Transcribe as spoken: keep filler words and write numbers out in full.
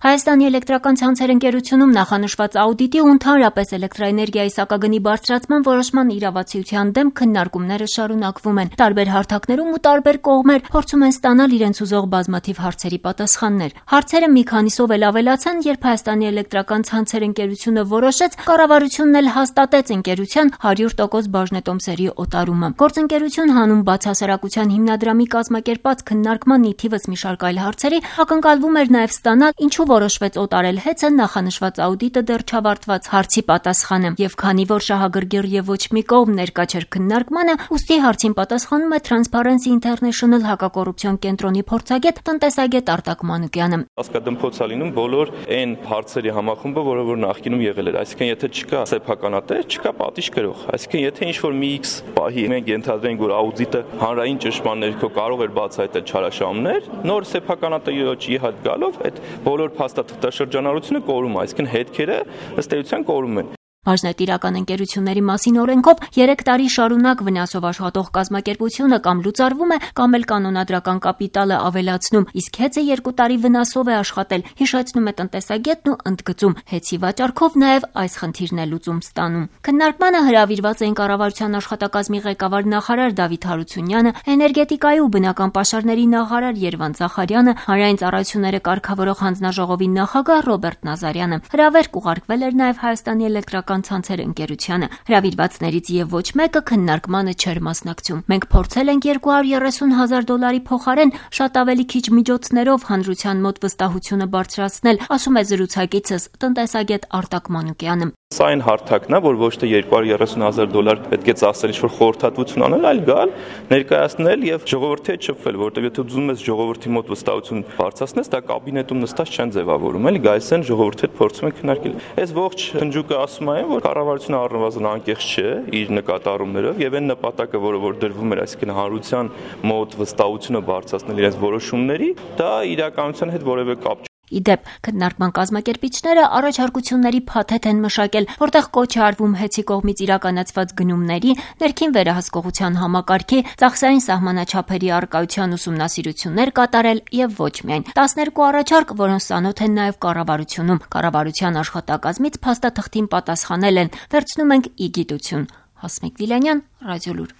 Հայաստանի էլեկտրական ցանցեր ընկերությունում նախանշված աուդիտի ու ընդհանրապես էլեկտրաէներգիայի սակագնի բարձրացման որոշման իրավացիության դեմ քննարկումները շարունակվում են։ Տարբեր հարթակներում ու տարբեր կողմեր փորձում են ստանալ իրենց ուզող բազմաթիվ հարցերի պատասխաններ։ Հարցերը մի քանիսով էլ ավելացան, երբ Հայաստանի էլեկտրական ցանցեր ընկերությունը որոշեց, կառավարությունն էլ հաստատեց ընկերության հարյուր տոկոս բաժնետոմսերի օտարումը։ Գործընկերություն հանուն բացահասարակության հիմնադրամի կազմակերպած քննարկման ի թիվս մի շարք այլ հարցերի ակնկալվում էր նաև ստանալ, ինչու որոշվեց օտարել հեծը նախանշված աուդիտը դեռ չավարտված հարցի պատասխանը, եւ քանի որ շահագրգիռ եւ ոչ մի կողմ ներկա չէր քննարկմանը, ուստի հարցին պատասխանում է Transparency International հակակոռուպցիոն կենտրոնի փորձագետ տնտեսագետ Արտակ Մանուկյանը։ Հասկադմփոց է լինում բոլոր այն հարցերի համախումբը, որը որ նախկինում եղել էր, այսինքն եթե չկա սեփականատեր, չկա պատիժ կրող, այսինքն եթե ինչ-որ մի X պահի մենք ենթադրենք, որ աուդիտը հանրային ճշմարտ ներքո կարող էր բացահայտել չարաշահումներ, նոր սեփականատիրոջի հետ գալով այդ բոլոր փաստաթղթաշրջանառությունը կորում է, այսինքն հետքերը ըստ էության կորում են։ Բաժնետիրական ընկերությունների մասին օրենքով երեք տարի շարունակ վնասով աշխատող կազմակերպությունը կամ լուծարվում է, կամ էլ կանոնադրական կապիտալը ավելացնում, իսկ հեծը երկու տարի վնասով է աշխատել, հիշեցնում է տնտեսագետն ու ընդգծում, հեծի վաճառքով նաև այս խնդիրն է լուծում ստանում։ Քննարկմանը հրավիրված էին կառավարության աշխատակազմի ղեկավար նախարար Դավիթ Հարությունյանը, էներգետիկայի ու բնական պաշարների նախարար Երվանդ Զախարյանը, հանրային ծառայությունները կարգավորող հանձնաժողովի նախագահ Ռոբերտ Նազարյանը։ Հրավերք ուղարկվել էր նաև Հայաստանի էլեկտրական ցանցեր ընկերությանը։ Հրավիրվածներից եւ ոչ մեկը քննարկմանը չէր մասնակցում։ Մենք փորձել ենք երկու հարյուր երեսուն հազար դոլարի փոխարեն շատ ավելի քիչ միջոցներով հանրության մոտ վստահությունը բարձրացնել, ասում է զրուցակիցս տնտեսագետ Արտակ Մանուկյանը։ Սա այն հարթակն է, որ ոչ թե երկու հարյուր երեսուն հազար դոլար պետք է ծախսել ինչ-որ խորհրդատվություն անել, այլ գալ, ներկայացնել եւ ժողովրդի հետ շփվել, որտեղ եթե ուզում ես ժողովրդի մոտ վստահություն բարձրացնես, դա կաբինետում նստած չեն ձևավորում, էլի գալիս են ժողովրդի հետ փորձում են քննարկել։ Այս ողջ հնջուկը ասում է, որ կառավարությունը առնվազն անկեղծ չէ իր նկատառումներով եւ այն նպատակը, որը որ դրվում էր, այսինքն հանրության մոտ վստահությունը բարձրացնել իրենց որոշումների, դա իրականության հետ որևէ կապ Իդեպ, քննարկման կազմակերպիչները առաջարկությունների փաթեթ են մշակել, որտեղ կոչ է արվում հեծի կողմից իրականացված գնումների, ներքին վերահսկողության համակարգի, ծախսային սահմանաչափերի առկայության ուսումնասիրություններ կատարել եւ ոչ միայն։ տասներկու առաջարկ, որոնց ծանոթ են նաեւ կառավարությունում, կառավարության աշխատակազմից փաստաթղթին պատասխանել են, վերցնում ենք ի գիտություն։ Հասմիկ Վիլանյան, Ռադիոլուր։